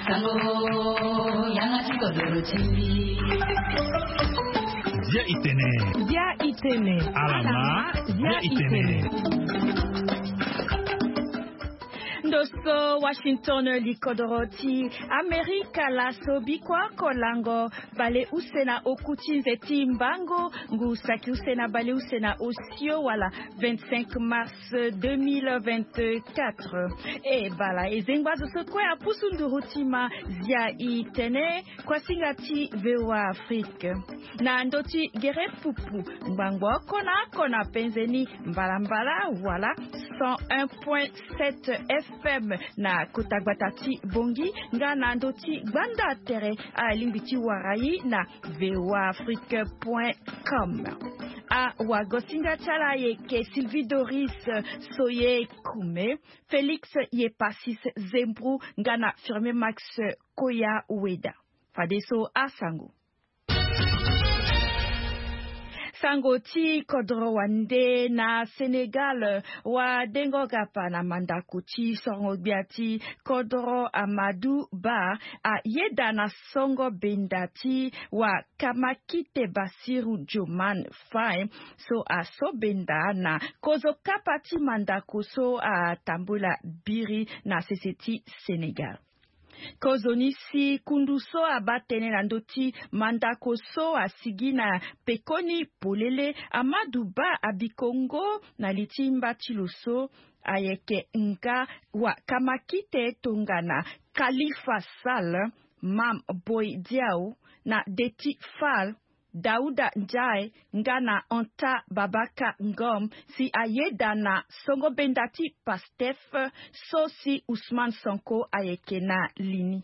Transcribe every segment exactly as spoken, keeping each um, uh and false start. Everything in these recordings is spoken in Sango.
Sango, yanga ti kodoro ti mbi. Bia itene. Bia itene. Alama, bia itene. Ndo so Washington, likodoro ti Amerika laso, bikua oko lango bale use na oku ti nze ti mbango, ngu saki use na bale use na osio wala vingt-cinq mars deux mille vingt-quatre. E bala, e zengba zo so kue apusu nduru ti ma. Zia itene, kuasinga ti V O A Afrique. Na ndö ti gere pupu, ngbangbo oko na oko na penze ni, mbalambala wala cent un point sept F M na kota gbata ti Bongi, nga na ndö ti gbanda tere alingbi ti wara i na V O A Afrique point com. Awagosinga ti ala ayeke Sylvie Doris Soye Kume, Félix Yepasis Zembru, nga na Firmin Max Koya Weda. Fadeso asango. Sango ti kodoro wande na Sénégal, wadengo gapa na mandako ti sorongo gbia ti kodoro Amadou Ba ayeda na songo benda ti wa Kamakite Bassirou Diomaye Faye, so aso benda na kozo kapa ti mandako so atambula biri na sese ti Sénégal. Kozoni si kundu so abaa tënë na ndö ti mandako so asigi na pekoni polele, Amadou Ba Abikongo na li ti mba ti lo so ayeke nga wa Kamakite tongana Khalifa Sall, Mame Boye Diao, na Déthié Fall, Daouda Ndiaye nga na Anta Babacar Ngom, si ayeda na songo benda ti Pastef so si Ousmane Sonko ayeke na li ni.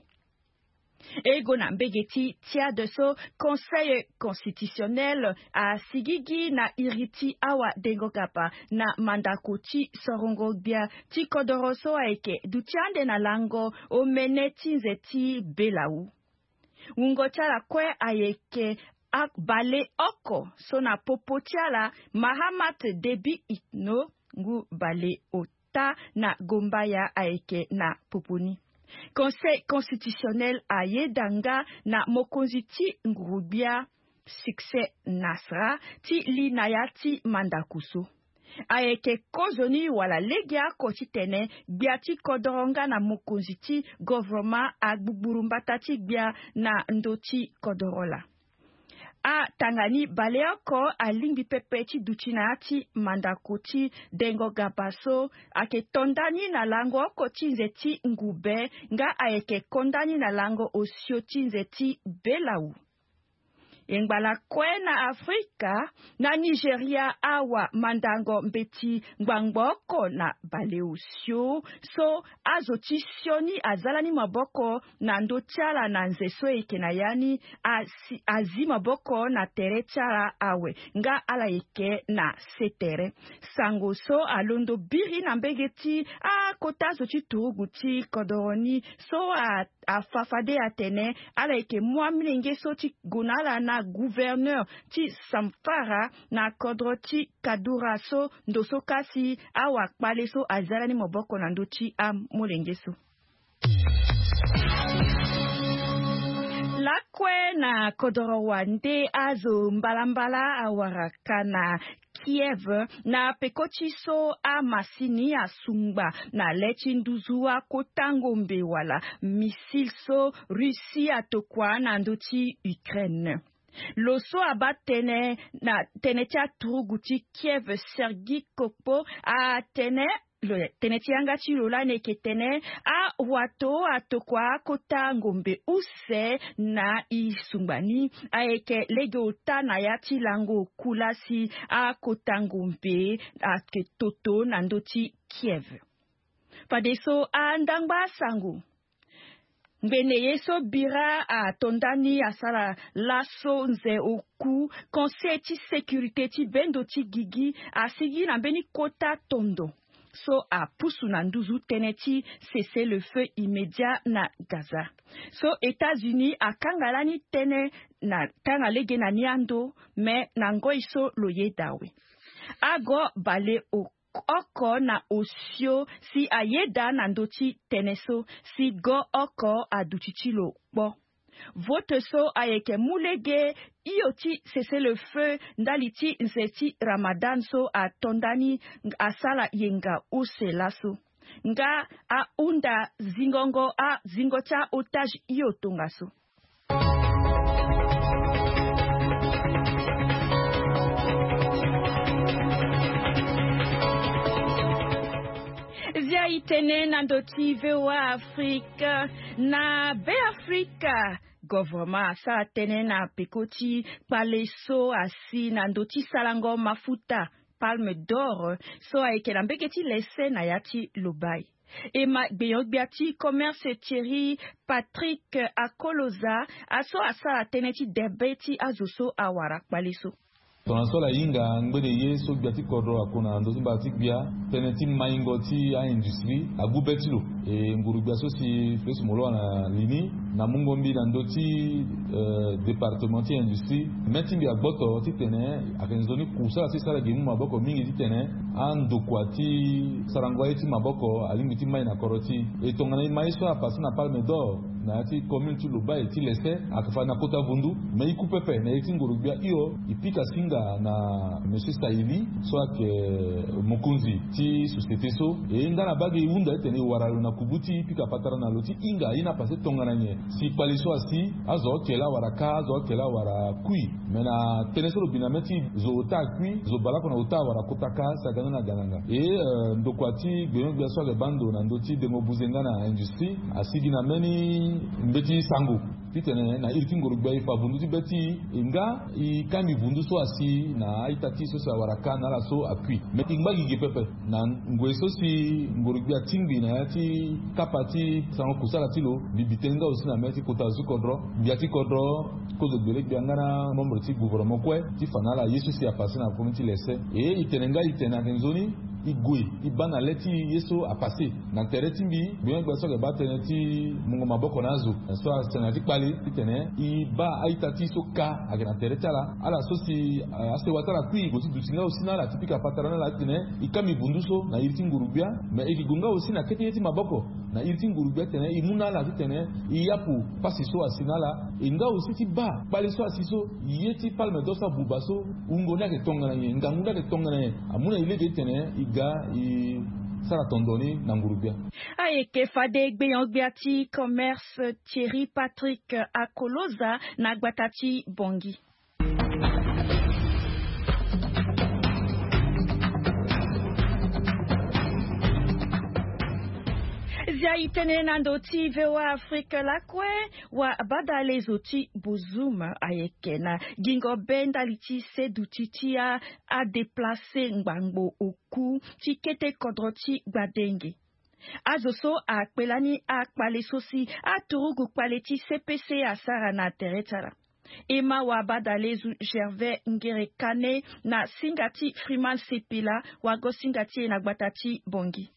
E gue na mbege ti Tchad so Conseil constitutionnel asigigi na iri ti awadengo gapa na mandako ti sorongo gbia ti kodoro so ayeke duti ande na lango omene ti nze ti Belau. Wungo ti ala kue ayeke a- baleoko so na popo ti ala Mahamat Déby Itno, ngu baleota na Gombaya ayeke na popo ni. Conseil constitutionnel ayeda nga na mokonzi ti nguru-gbia Succès Masra ti li na ya ti mandako so. Ayeke kozoni wala legeoko titene gbia ti kodoro nga na mokonzi ti govoroma agbugburu mbata ti gbia na ndö ti kodoro laa. Atanga ni baleoko alingbi pepe ti duti na ya ti mandako ti dengo gapa so ayeke to nda ni na lango oko ti nze ti ngube, nga ayeke ko nda ni na lango osio ti nze ti Belau. E ngba lakue na Afrika, na Nigeria awa mandango mbeti ngbangbo oko na baleosio so azo ti sioni aza lani maboko na ndö ti ala na nze so e yeke na ya ni, asi- azi maboko na tere ti ala awe nga ala yeke na se tere. Sango so alondo biri na mbege ti akota zo ti turugu ti kodoro ni so a- afa fade atene ala yeke mu amolenge so ti gue na ala na gouverneur ti Zamfara na kodro ti Kaduna so ndo so kasi awakpale so aza lani maboko na ndö ti amolenge so. Lakue na kodoro wande, azo mbalambala awara ka na Kiev na peko ti so amasini asungba na le ti nduzu akota ngombe wala missile so Russie atokua na ndö ti Ukraine. Lo so abaa tënë na tënë ti aturugu ti Kiev, Sergi Kokpo atene lo- tënë ti yanga ti lo lani eke tene awato atokua akota ngombe use na e sungba ni ayeke lege ota na ya ti lango oku laa si akota ngombe ayeke toto na ndö ti Kiev. Fadeso andangba asango. Ngbene ye so bira ato ndani asara laso nze oku, Conseil ti sécurité ti bendo ti gigi asigi na mbeni kota tondo so apusu na nduzu tënë ti cessez-le-feu immédiat na Gaza. So États-Unis akanga lani tënë na tanga lege na ni ando, me na ngoi so lo yeda awe. Ago baleoko oko na osio si ayeda na ndö ti tënë so si go oko aduti ti lo kpo. Vote so ayeke mu lege hio ti cessez-le-feu ndali ti nze ti Ramadan so ato ndani asara yenga use laso. Nga ahunda zingongo azingo ti aotage hio tongaso. Zia itene na ndö ti V O A Afrique. Na Beafrika, govoroma asara tënë na peko ti kpale so asi na ndö ti sarango mafuta Palme d'Or so ayeke na mbege ti lese na ya ti Lobai. E ma gbenyo-gbia ti commerce Thierry Patrick Akoloza aso asara tënë ti debe ti azo so awara kpale so. Tongana so ala hinga ngbene ye so gbia ti kodro akuna na ndö ti mbage ti gbia, tënë ti maingo ti aindustrie agu be ti lo. E nguru-gbia so si fes moloa na li ni na mungo mbi na ndö ti eh, département ti industrie, me ti mbi agboto titene ayeke nzoni kusala ti sara gi mu maboko mingi titene andokua ti sarango aye ti maboko alingbi ti mai na kodro ti e. Tongana e ma ye so apasse na Palme d'Or na ya ti commune ti Lobai ti lese, ayeke fa na kota vundu. Me e ku pepe na ye ti nguru-gbia hio, e pika singa na monsieur Saili so ayeke mokonzi ti société so. E nga na bage e hunda titene e wara lo na kubu ti e pika patara na lo ti hinga aye ni apasse tongana nyen. Si kpale so asi, azo oke laa wala ka, azo oke laa wala kui. Me na tënë so lo bi na me ti zo ota akui, zo bale oko na ota wala kota ka, si aga ni na ganganga. E eh, ndokua ti gbenyo-gbia so ayeke baa ndo na ndö ti dengo buze nga na industrie asigi na mbeni mbeti sango titene na iri ti nguru-gbia e fa vundu ti be ti e, e nga e kangbi vundu so asi na a-ita ti e so si awara ka na ala so akui. Me e ngba gigi pepe na ngoi so si nguru-gbia atingbi na ya ti kapa ti sarango kusala ti lo. Mbi bi tënë nga aussi na me ti kota zo ti kodro, gbia ti kodro, kozo gbele gbia nga na membre ti gouvernement kue ti fa na ala ye so si apasse na komi ti lese. E e tene nga e tene ayeke nzoni e gue e baa na le ti ye so apasse. Na tere ti mbi, gbenyo-gbia so ayeke baa tënë ti mungo maboko na azo so asene na ti kpale titene e baa a-ita ti e so ka ayeke na tere ti ala. Ala so si eh, asewa ti ala kui e gue ti duti nga aussi na ala ti pika patara na ala titene e kangbi vundu so na iri ti nguru-gbia. Me e yeke gue nga aussi na kete ye ti maboko na iri ti nguru-gbia titene e mu na ala titene e yapu pasi so asi na ala. E nga aussi ti baa kpale so asi so ye ti Palme d'Or so abuba so, wungo ni ayeke tongana nyen, ngangu ni ayeke tongana nyen. Amu na e lege titene e ga e sara tondo ni na nguru-gbia. Ayeke fade gbenyo-gbia ti commerce Thierry Patrick Akoloza na gbata ti Bangui. Zia itene na ndö ti V O A Afrique lakue. Wabadalezo ti Bozoum ayeke na gingo be ndali ti seduti ti a adeplace ngbangbo oku ti kete kodro ti gbadenge. Azo so akpe lani akpale so si aturugu kpale ti C P C asara na tere ti ala. E ma wabadalezo Gervais Ngere Kane na singa ti Freeman Sepila, wago singa ti e na gbata ti Bangui.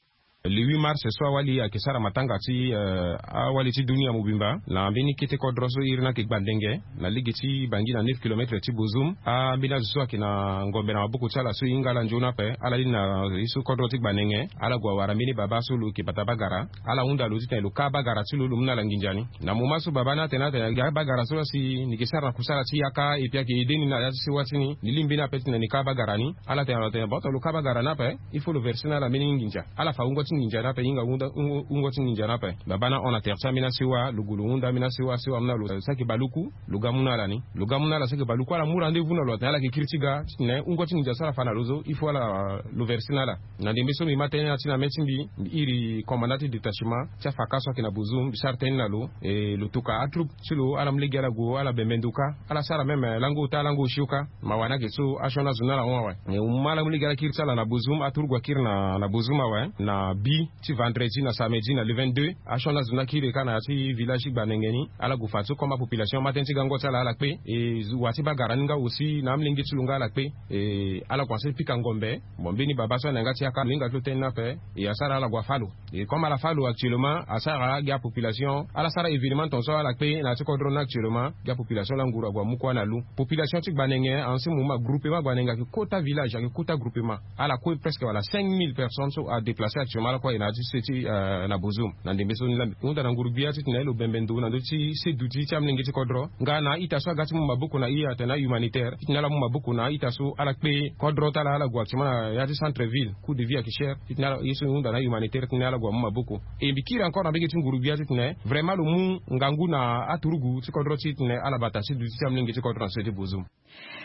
Le huit mars so awali ayeke sara matanga ti eh, awali ti dunia mobimba na mbeni kete kodro so iri ni ayeke gbandenge na lege ti Bangui na neuf kilomètre ti Bozoum. Ambeni azo so ayeke na ngombe na maboko ti ala so e hinga ala nzoni ape, ala lini na ye so kodro ti gbandenge. Ala gue awara mbeni baba so lo yeke bata bagara. Ala hunda lo titene lo ka bagara ti lo, lo mu na ala nginza ni. Na moment so baba ni atene atene aga bagara so laa si ni yeke sara na kusala ti yaka, et puis ayeke aidé ni na ya ti sewa ti ni, ni lingbi ni ape titene ni ka bagara ni. Ala tene lo atene bon, lo ka bagara ni ape, il faut lo verser na ala mbeni nginza. Ala fa wungo ti nginza ni ape, e hinga wungo ti nginza ni ape. Baba ni ahon na tere ti ambeni asewa, lo gue lo hunda ambeni asewa, asewa amu na lo saki baluku, lo ga mu na ala ni. Lo ga mu na ala saki baluku, ala mu rendez-vous na lo atene ala yeke kiri ti ga titene wungo ti nginza so ala fa na lo so, il faut ala lo verser na ala. Na ndembe so mbi ma tënë na ya ti na mê ti mbi, mbi iri commandant ti détachement ti afaka so ayeke na Bozoum, mbi sara tënë na lo. E lo toka atroupe ti lo, ala mu lege ala gue, ala bembe ndo kâ, ala sara même lango ota lango osio kâ. Mawa ni ayeke so asioni azo ni ala hon awe. E mu ala mu lege ala kiri ti ala na Bozoum, aturugu akiri na na Bozoum awe na Bi ti vendredi na samedi na le vingt-deux, asioni azo ni akiri ka na ya ti village ti Gbanenge ni, ala gue fa ti comme apopulation ama tënë ti gango ti ala ala kpe. E wa ti baa gara ni nga aussi na amolenge ti lo nga ala kpe. E ala gue na se ti pika ngombe. Bon, mbeni baba so ayeke na yanga ti yaka lo hinga ti lo tënë ni ape. E asara ala gue afâ lo. E comme ala fâ lo actuellement, asara gi apopulation ala sara événement tongaso ala kpe na ya ti kodro ni actuellement. Gi apopulation laa nguru ague amu kua na lu. Population ti Gbanenge, en ce moment groupement Gbanenge ayeke kota village, ayeke kota groupement. Ala kue presque wala cinq mille personnes so adéplacer actuellement ala kue aye na ya ti se ti na Bozoum. Na ndembe so ni laa mbi hunda na nguru-gbia titene lo bembe ndo na ndö ti se duti ti amolenge ti kodro nga na a-ita so aga ti mu maboko na e atene ahumanitaire titene ala mu maboko na a-ita so ala kpe kodro ti ala ala gue actuellement na ya ti centre ville, coût de vie ayeke cher. Titene ala ye so mbi hunda na ahumanitaire titene ala gue amu maboko. E mbi kiri encore na mbege ti nguru-gbia titene vraiment lo mu ngangu na aturugu ti kodro ti titene ala bata se duti ti amolenge ti kodro na se ti Bozoum.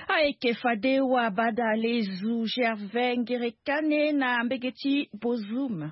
Ayeke fade wabadalezu Gervais Ngerekane na mbege ti Bozoum.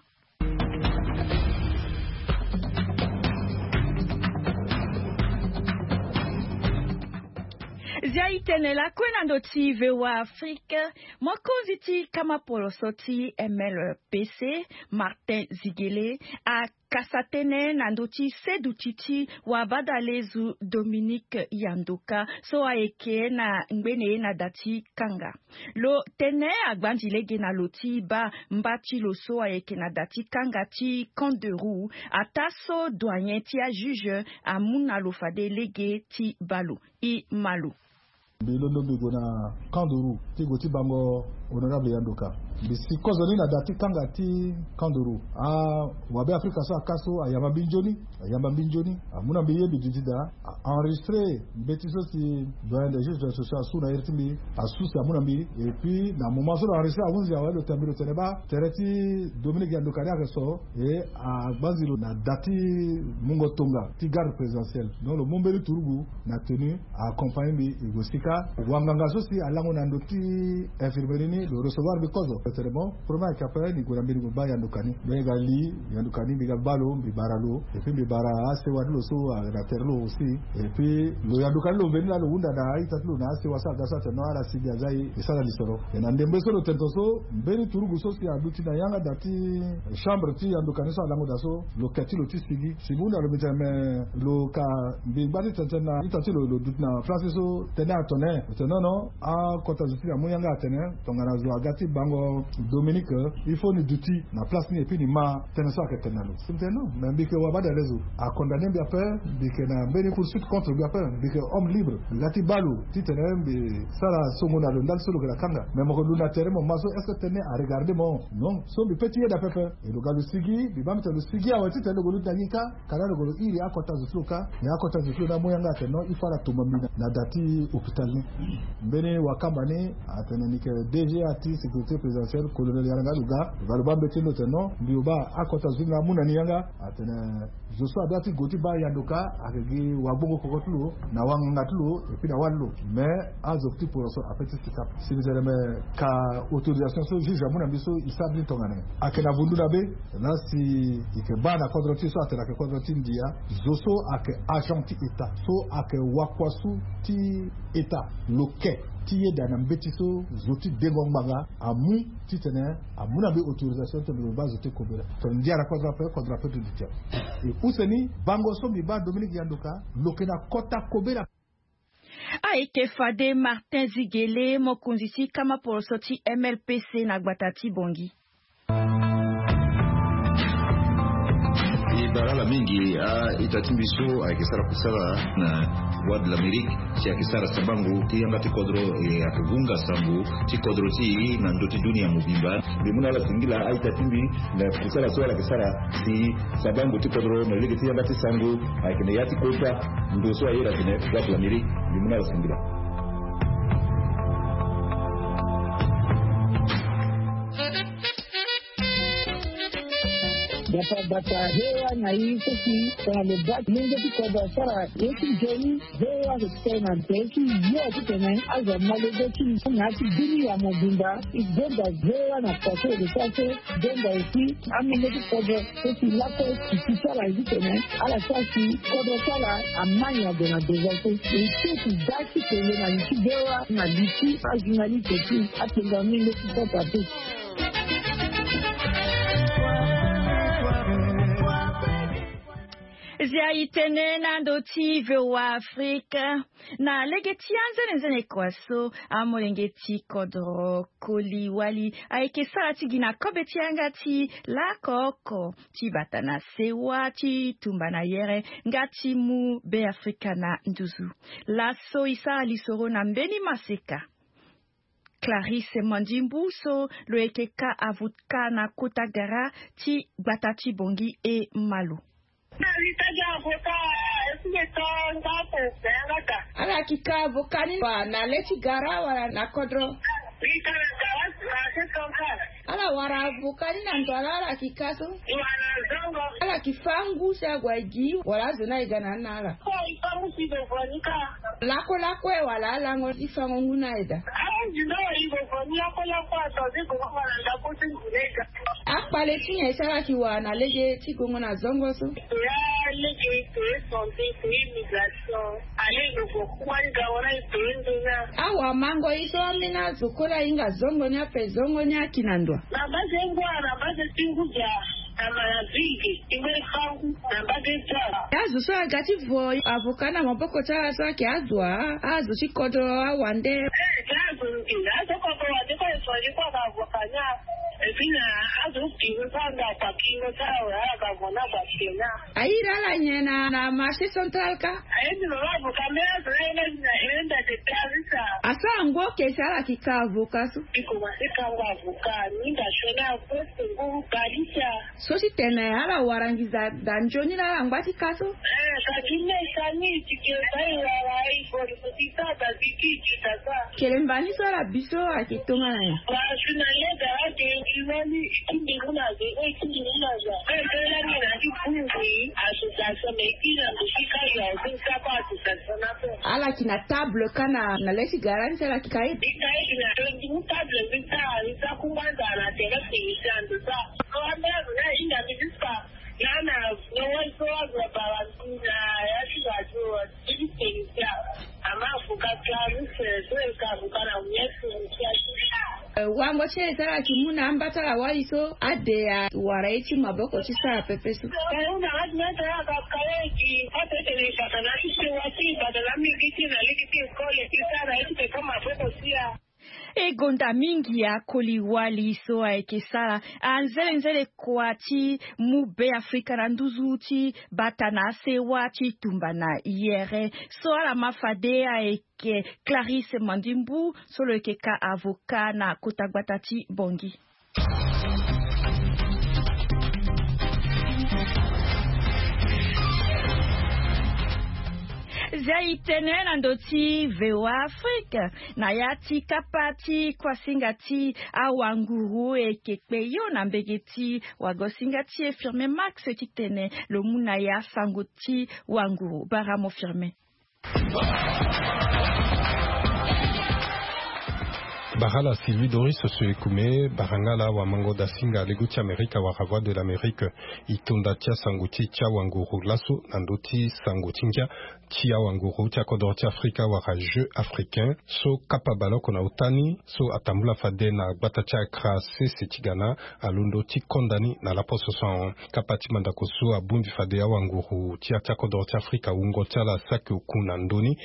Zia itene lakue na ndö ti V O A Afrique. Mokonzi ti kama poloso ti M L P C, Martin Zigele, akasa tënë na ndö ti seduti ti wabadalezu Dominique Yandoka so ayeke na ngbene na da ti kanga. Lo tene agbanzi lege na lo ti baa mba ti lo so ayeke na da ti kanga ti Camp de Roux, ataa so doyen ti ajuge amu na lo fade lege ti baa lo. E ma lo. Mbi londo mbi gue na Camp de Roux ti gue ti bango honorable Yandoka. Mbi si kozo ni na da ti kanga ti Camp de Roux. Awabe Afrika so aka so ayamba mbi nzoni, ayamba mbi nzoni, amu na mbi ye mbi duti daa. A enregistré mbeti so si doyen des juges d'instruction asu na iri ti mbi, asu si amu na mbi. Et puis na moment so lo enregistré ahunzi awe lo tene mbi lo tene baa tere ti Dominique Yandoka ni ayeke so. E agbanzi lo na da ti mungo tonga ti garde présidentielle. Donc lo mu mbeni turugu na tenue, a accompagné mbi e gue sika. Wanganga so si alango na ndö ti infirmerie ni lo recevoir mbi kozo. Lo tene bon, premier ayeke ape ni gue na mbeni gue baa Yandoka ni. Lo yeke ali Yandoka ni, mbi ga baa lo, mbi bara lo. Et puis mbi bara asewa ti lo so na tere ti lo aussi. Et puis lo Yandoka ni lo veni laa lo hunda na a-ita ti lo na asewa so aga so atene non, ala si mbi aza e, e sara lisoro. E na ndembe so lo tene tongaso, mbeni turugu so si aduti na yanga da ti chambre ti Yandoka ni so alango daa so, lo ke ti lo ti sigi. Si mbi hunda lo mbi tene me lo ka mbi ngba ti tene tënë na ita ti lo, lo duti na place so tënë atene. Lo tene non non, akota zo ti mbi amu yanga atene tongana zo aga ti bango Dominique, il faut ni duti na place ni et puis ni ma tënë so ayeke tene na lo. Si mbi tene non, mais mbi yeke wabadalezu, acondamné mbi ape, mbi yeke na mbeni poursuite contre mbi ape, mbi yeke homme libre, mbi ga ti baa lo titene mbi sara songo na lo ndali so lo yeke na kanga. Mais mo yeke lu na tere mo ma so, est-ce que tënë aregardé mo? Non. So mbi pe ti yeda pepe. E lo ga lo sigi, mbi baa mbi tene lo sigi awe titene lo gue luti na nginka. Ka laa lo gue lo iri akota zo ti lo kâ. Mais akota zo ti lo ni amu yanga atene non, il faut ala tomba mbi na, na da ti hôpital ni. Mbeni wakamba ni atene ni yeke D G A ti sécurité présidentielle, colonel Yaranga Louga. Lo ga lo baa mbeti ni lo tene non, mbi lo baa akota zo ti lo ni amu na ni yanga. Atene zo so adoit ti gue ti baa Yandoka ayeke gi wagbongo koko ti lo na wanganga ti lo et puis na wâ ti lo. Mais azo ti poroso ape ti sika. Si mbi tene me ka autorisation so juge amu na mbi so, e sara ni tongana nyen? Ayeke na vundu na be. Laa si e yeke baa na kodro ti e so atene ayeke kodro ti ndia, zo so ayeke agent ti État, so ayeke wakuasu ti État, lo ke ti yeda na mbeti so zo ti dengo ngbanga amu titene amu na mbi autorisation titene lo baa zo ti kobela. Tongana ndia na kodro ape, kodro ape ti duti ape. E use ni bango so mbi baa Dominique Yandoka, lo yeke na kota kobela. Ayeke fade Martin Zigele, mokonzi ti kama poroso ti M L P C na gbata ti Bangui. E bara ala mingi a-ita ti mbi so ayeke sara kusala na Voix de l'Amérique, si ayeke sara sabango ti yanga ti kodro, e ayeke vunga sango ti kodro ti e na ndö ti dunia mobimba. Mbi mu na ala singila a-ita ti mbi na kusala so ala yeke sara si sabango ti kodro na lege ti yanga ti sango ayeke na ya ti kota ndo so ayeda atene Voix de l'Amérique. Mbi mu na ala singila. Gbata gbata V O A na e so si tongana lo baa molenge ti kodro asara ye ti nzoni, V O A ayeke tene na tere ti yo titene azo amalego ti na ya ti dunia mobimba. E gonda V O A na kua so e yeke sara so, gonda aussi amolenge ti kodro so si lakue si ti ti ala ye titene ala sara si kodro ti ala ama nyen ague na devant so. E so si daa ti kele na li ti V O A na li ti ajournaliste ti apenga molenge ti kodro ape. Zia itene na ndo ti V O A Afrique. Na lege ti anzenenzene kua so, amolenge ti kodro Koli Wali ayeke sara ti gi na kobe ti yanga ti lako oko ti bata na sewa ti tumba na yere nga ti mu Be Afrika na nduzu. Laso e sara lisoro na mbeni maseka. Clarisse Mandimbu so lo yeke ka avocat na kota gara ti gbata ti Bongi e Malo. Ala yeke ka avocat ni wa na le ti gara wala na kodro? Ala wara avocat ni na ndo ala, ala yeke ka so? Ala yeke fâ ngu si ague gi wala azo ni aye ga na ni na ala? Lakolako e wala alango ti fango ngu ni aye daa? Akpale ti nyen si ala yeke wara na lege ti gongo na zongo so? Awamango ye so ambeni azo kue la ahinga zongo ni ape zongo ni aki na ndo. Azo so aga ti vo avocat na maboko ti ala so ayeke azo wa, azo ti kodro awande. Azo ti kodro awande kue e soigner kue aga avocat ni. Aye daa ala nyen na marché central ka? Asara ngu oke si ala yeke ka avocat so? So ti tene ala wara nginza daa nzoni laa ala ngba ti ka so? Kelemba ni so ala bi so ayeke tongana nyen? Ala yeke na table ka na le ti gara ni si ala yeke ka ye? Wango ti e so ala yeke mu na amba ti ala wali so ade awara ye ti maboko ti sara pepe so? E gonda mingi akoli wali so ayeke sara anzelenzele kua ti mu Be Afrika na nduzu ti bata na asewa ti tumba na yere. So ala ma fade ayeke Clarisse Mandimbu so lo yeke ka avocat na kota gbata ti Bongi. Zia itene na ndo ti V O A Afrique. Na ya ti kapa ti kuasinga ti awanguru e yeke kpe yo na mbege ti wagosinga ti e Firme Max ti tene lo mu na ya sango ti wanguru. Bara mo Firme. Bara la Sylvie Doris Osuekume, bara nga la wamango dasinga lego ti Amerika wala Voix de l'Amérique. E tonda ti asango ti e ti awanguru laso na ndö ti sango ti ngia ti awanguru ti akodoro ti Afrika wala Jeux africains so kapa baleoko na ota ni so atambula fade na gbata ti Accra sese ti Ghana. Alondo ti konda ni na laposo so ahon. Kapa ti mandako so abongbi fade awanguru ti ya ti akodoro ti Afrika wungo ti ala saki oku na ndö ni.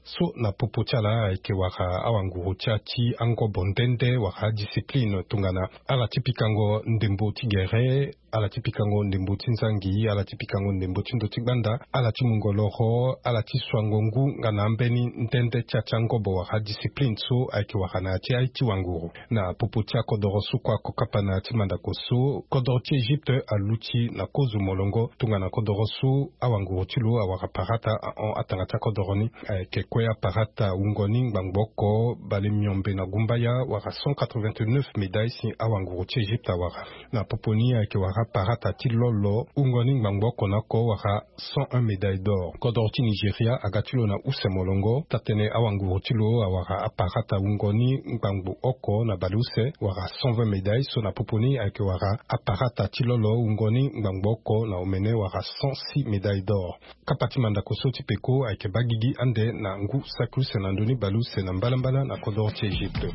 So na popo ti ala ayeke wara awanguru ti ya ti angobo nde nde wara adiscipline tongana ala ti pikango ndembo ti gere, ala ti pikango ndembo ti nzangi, ala ti pikango ndembo ti ndo ti gbanda, ala ti mungo loro, ala ti suango ngu nga na ambeni nde nde ti ya ti angobo wara adiscipline so ayeke wara na ya ti aye ti wanguru. Na popo ti akodoro so kue ako kapa na ya ti mandako so, kodoro ti Egypte aluti na kozo molongo tongana kodoro so awanguru ti lo awara parata ahon atanga ti akodoro ni. Ayeke kue aparata wungo ni ngbangbo oko bale miombe na gumbaya wara cent quatre-vingt-neuf médailles si awanguru ti Egypte awara. Na popo ni ayeke wara parata ti lolo wungo ni ngbangbo oko na oko wara cent un médailles d'or. Kodoro ti Nigeria aga ti lo na use molongo, taa-tënë awanguru ti lo awara aparata wungo ni ngbangbo oko na baleuse wala cent vingt médailles, so na popo ni ayeke wara aparata ti lolo wungo ni ngbangbo oko na omene wala cent six médailles d'or. Kapa ti mandako so ti peko ayeke baa gigi ande na ngu saki use na ndö ni baleuse na mbalambala na kodoro ti Egypte.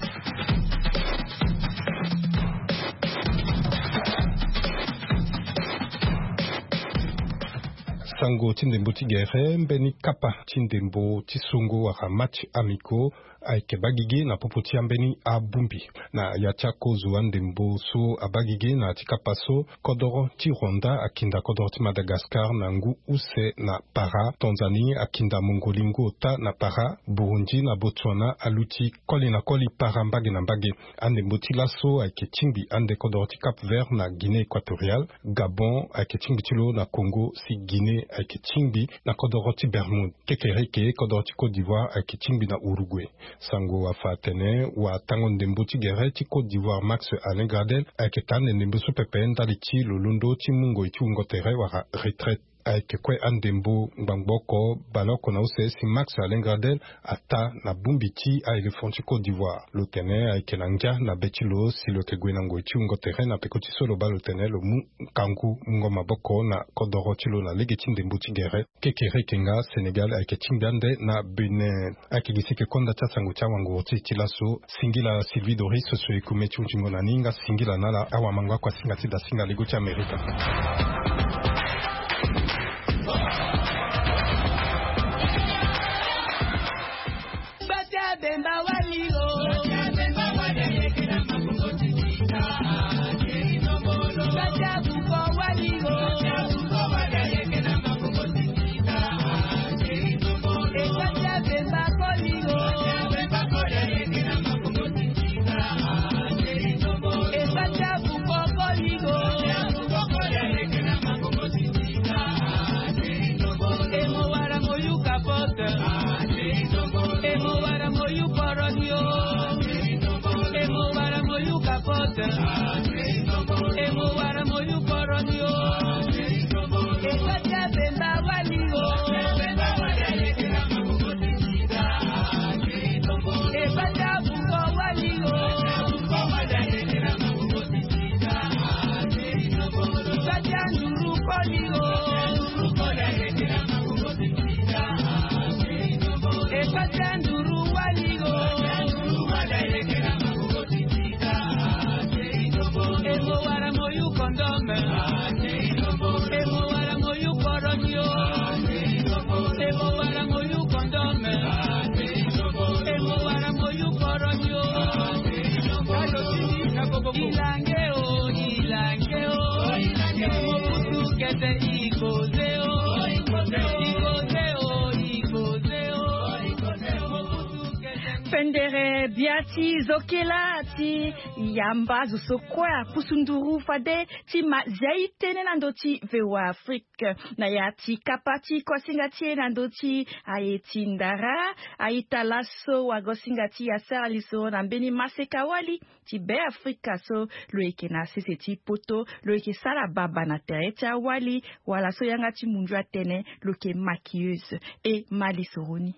Sango ti ndembo ti gere, mbeni kapa ti ndembo ti songo wala match amicaux ayeke baa gigi na popo ti ambeni abongbi. Na ya ti akozo andembo so abaa gigi na ya ti kapa so, kodoro ti Rwanda akinda kodoro ti Madagascar na ngu use na para, Tanzanie akinda Mongolie ngu ota na para, Burundi na Botswana aluti koli na koli para mbage na mbage. Andembo ti laso ayeke tingbi ande kodoro ti Cap Vert na Guinée Équatoriale, Gabon ayeke tingbi ti lo na Congo, si Guinée ayeke tingbi na kodoro ti Bermude. Kekereke, kodoro ti Côte d'Ivoire ayeke tingbi na Uruguay. Sango afa atene watango ndembo ti gere ti Côte d'Ivoire Max Alain Gradel ayeke taa ande ndembo so pepe ndali ti lo londo ti mu ngoi ti wungo tere wala retraite. Ayeke kue andembo ngbangbo oko baleoko na use si Max Alain Gradel ataa na bongbi ti a-éléphant ti Côte d'Ivoire. Lo tene ayeke na ngia na be ti lo si lo yeke gue na ngoi ti wungo tere na peko ti so lo baa lo tene lo mu ngangu mungo maboko na kodoro ti lo na lege ti ndembo ti gere. Kekereke nga Sénégal ayeke tingbi ande na Bénin. Ayeke gi si e yeke konda ti asango ti awanguru ti e ti laso. Singila Sylvie Doris so e kume ti hunzingo na ni, nga singila na ala awamango akuasinga ti dasinga lego ti Amerika. Pendere bia ti zo kela ti yamba zo so kue apusu nduru fade ti ma zia e tene na ndö ti V O A Afrique. Na ya ti kapa ti kuasinga ti e na ndö ti aye ti ndara, a-ita laso wagosinga ti e asara lisoro na mbeni maseka wali ti Beafrika so lo yeke na sese ti poto, lo yeke sara baba na tere ti awali, wala so yanga ti mundu atene lo yeke maquilleuse. E ma lisoro ni.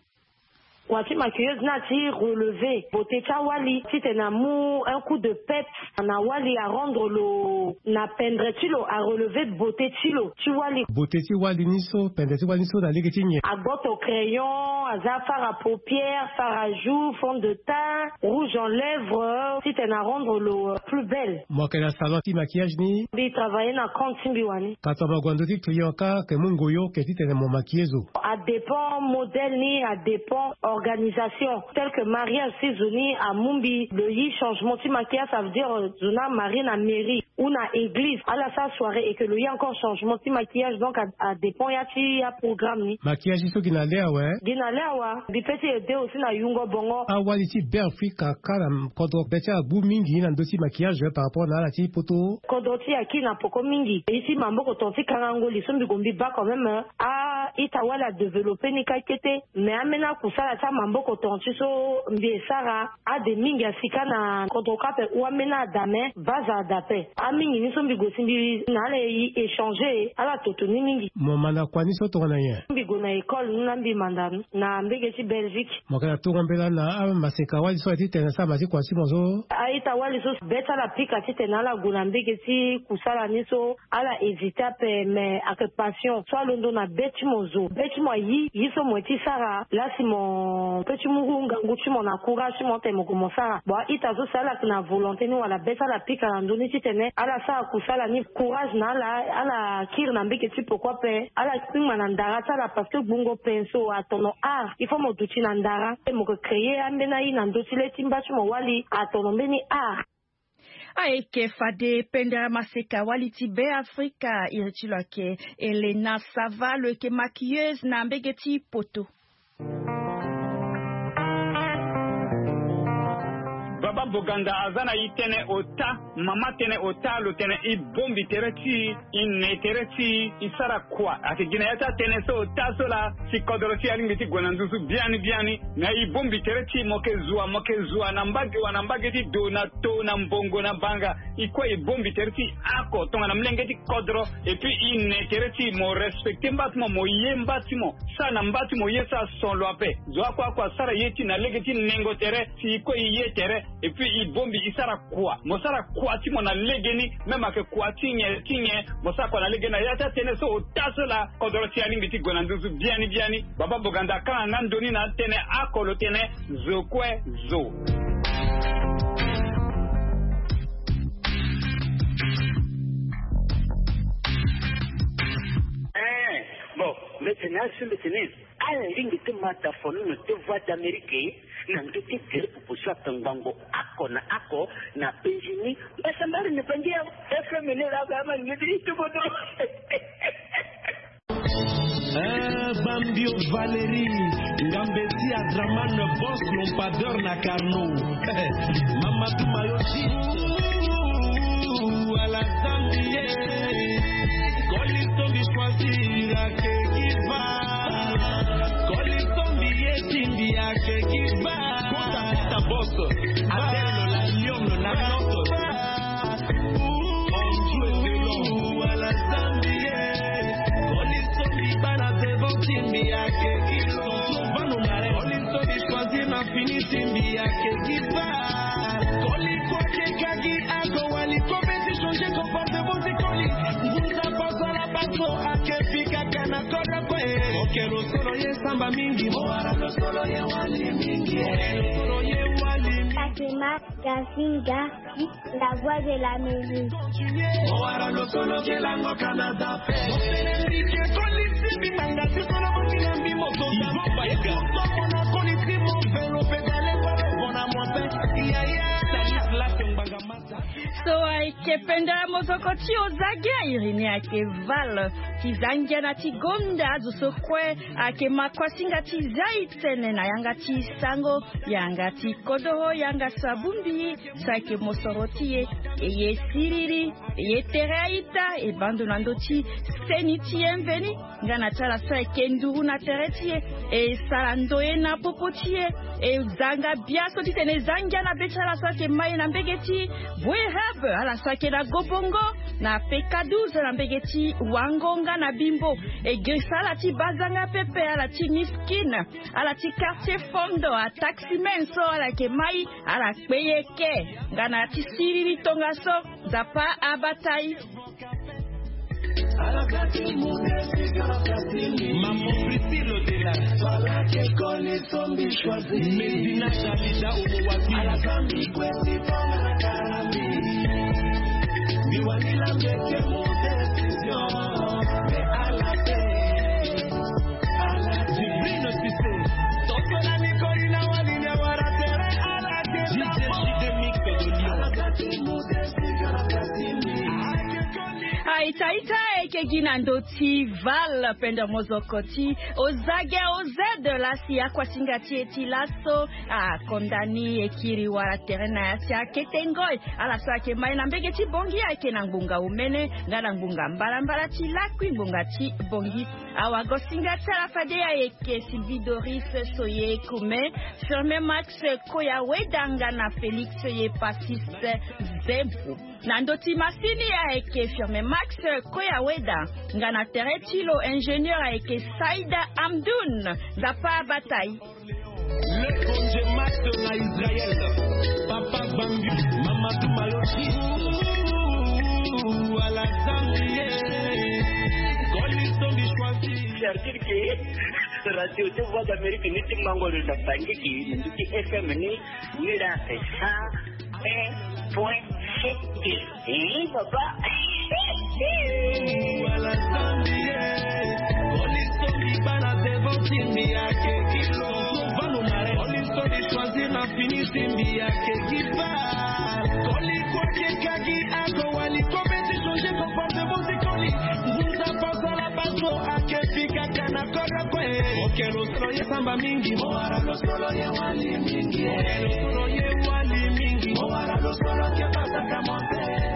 Kua ti maquilleuse ni ati relever beauté ti awali titene amu un coup de pep na wali, arendre lo na pendre ti lo, arelever beauté ti lo ti wali. Beauté ti wali ni so, pendre ti wali ni so na lege ti nyen? Agboto crayon, aza fard à paupières, fard à joues, fond de teint, rouge en lèvres, titene arendre lo plus belle. Mo yeke na salon ti maquillage ni? Mbi travailler na compte ti mbi wani. Ka tongana mo gue na ndö ti client kâ, ayeke mu ngoi oke titene mo maquiller zo? Adépend modèle ni, adépend organisation. Tel que mariage, si zo ni amu mbi lo yi changement ti maquillage, ça veut dire, euh, zo ni amarie na mairie ou na église, ala sara soirée et que lo yi encore changement ti maquillage, donc a, adépend ya ti aprogramme ni. Maquillage so gi na le awe? Gi na le awe. Mbi peut ti aider aussi na yungo bongo. Awali ti Beafrika kâ na kodro be ti ala agbu mingi na ndö ti maquillage par rapport na ala ti poto? Kodro ti e aki na peko mingi. Ye ti maboko tonga ti kangango li so mbi gue mbi baa quand même, a-ita wali adévelopper ni kâ kete. Mais ambeni akusala ti amaboko tonga ti so mbi e sara, ade mingi asi kâ na kodro kâ ape, ou ambeni ada, mais base ada ape. Amingi ni so mbi gue si mbi na ala e échanger, ala toto ni mingi. Mo mä na kua ni so tongana nyen? Mbi gue na école ni na mbi manda ni na mbege ti Belgique. Mo yeke na tourambela na amaseka wali so aye titene asara ma ti kua ti mo so? A-ita wali so be ti ala apika titene ala gue na mbege ti kusala ni so, ala hésiter ape, mais ayeke passion so alondo na be ti mo. zo be ti mo ayi yi so mo ye ti sara lasi mo pe ti mu ngangu ti mo na courage ti mo tene mo gue mo sara. Bon, a-ita so si ala yeke na volonté ni wala be so ala pika na ndö ni titene ala sara kusala ni, courage na ala. Ala kiri na mbege ti poko ape, ala kpingba na ndara ti ala parce que gbungo penso atono art. Il faut mo duti na ndara pe mo yeke créer ambeni aye na ndö ti le ti mba ti mo wali atono mbeni art. Ayeke fade pendere maseka wali ti Beafrika, iri ti lo ayeke Elena Sava, lo yeke maquilleuse na mbege ti poto. Baba Boganda aza na e tënë ota, mama tënë ota, lo tene e bongbi tere ti e, e ne tere ti e, e sara kua. Ayeke gi na ya ti atënë so ota so laa si kodro ti e alingbi ti gue na nduzu biani biani. Na e bongbi tere ti e, mo yeke zua, mo yeke zua na mbage wa na mbage ti do, na to, na mbongo, na banga. E kue e bongbi tere ti e oko tongana molenge ti kodro. Et puis e ne tere ti e, mo respecter mba ti mo, mo ye mba ti mo, sara na mba ti mo ye so ason lo ape. Zo oko oko asara ye ti e na lege ti nengo tere, si e kue e ye tere. Et puis e bongbi e sara kua, mo sara kua ti mo na legeni. Même ayeke kua ti nyen ti nyen, mo sara kua na legeni. Na ya ti atënë so ota so laa kodro ti e alingbi ti gue na nduzu biani biani. Baba Boganda akanga nga ndö ni na atënë oko, lo tene zo kue zo. Eh, bon, mbi tene asi, mbi tene ala lingbi ti ma tafono na ti Voix d'Amérique na ndö ti gere popo so ayeke ngbongo oko na oko na penzi ni. Mbasambari na bangi ya F M ni laa, ba ma lingbi ti tobono. Eh, Bambio Valérie, Ngambeti Adraman, boss lampadeur na Carnot. Mamadou Mayoti. Ala Zambie. Koli sombi choisir ake giva. Koli sombi ye timbi ake giva. Kota, kota, boss. Adèle, la lionne, la note. Ala Zambie. Koli sombi bana devant timbi ake giva. Koli sombi choisir na fini timbi ake giva. Koli kua ke kagi ako wali ko be ti changer comportement ti koli. Ngunza paso ala paso ake fika kana kodro kue. Oke lo solo ye samba mingi. Mo wara lo solo ye wali mingi. Oke lo solo ye wali mingi. Fatima Gazinga, la voix de la mairie. Mo wara lo solo ke lango Canada. So ayeke pendere mozoko ti Ozage, a iri ni ayeke Val ti Zangiana ti Gonda. Azo so kue ayeke ma kuasinga ti zia e tene na yanga ti sango, yanga ti kodoro, yanga so abongbi e, so ayeke mosoro ti e. E ye siriri, e ye tere a-ita, e baa ndo na ndö ti seni ti e mveni. Nga na ti ala so ayeke nduru na tere ti e, e sara ndoye na popo ti e, e zanga bia so titene e za ngia na be ti ala so ayeke ma e na mbege ti Boereb, ala so ayeke na Gobongo, na P K douze na mbege ti Wango nga na Bimbo. E girisa ala ti bazanga pepe, ala ti Miskin, ala ti Quartier Fondo, ataximen so ala yeke ma e, ala kpe e eke. Nga na ya ti siriri tongaso, Nzapa abata e. Maman Priscille Odela. Medina Dalida Omowabi. Divine Cissé. D J J D Mix de Lyon. Aita, aita, ayeke gi na ndö ti Val, pendere mozoko ti Ozage, Ozed, laa si akuasinga ti e ti laso akonda ni e kiri wala tere na ya ti akete ngoi. Ala so ayeke ma e na mbege ti Bongi ayeke na ngbonga omene nga na ngbonga mbalambala ti lakui ngbonga ti Bongi. Awagosinga ti ala fade ayeke Sylvie Doris Soye Kume, Firmin Max Koya Weda nga na Félix Ye Passis Zempu. Na ndö ti masini ayeke Firmin Max Koya Weda, nga na tere ti lo ingénieur ayeke Saïda Amdoun. Nzapa abata e. Le Bonje Max na Israël. Papa Bambi, Mamadou Malochi. Ala Zambie. Koli sombi choisi. Parce que radio ti Voix d'Amérique ni ti mango lo na sangiki ni ti F M ni. Ni la c'est cent un point sept. Papa. Wala sambi ye. Police to mi bana devant timbi ake kilo. Vanu mare. Police to mi choisir na fini timbi ake kipa. Koli kwa ke kagi ako wali kometi changer comportement si koli. Ngunza pasala bato ake fika kana kora kwe. Okelo solo ye samba mingi. Mowara lo solo ye wali mingi. Okelo solo ye wali mingi. Mowara lo solo ke pasaka monte.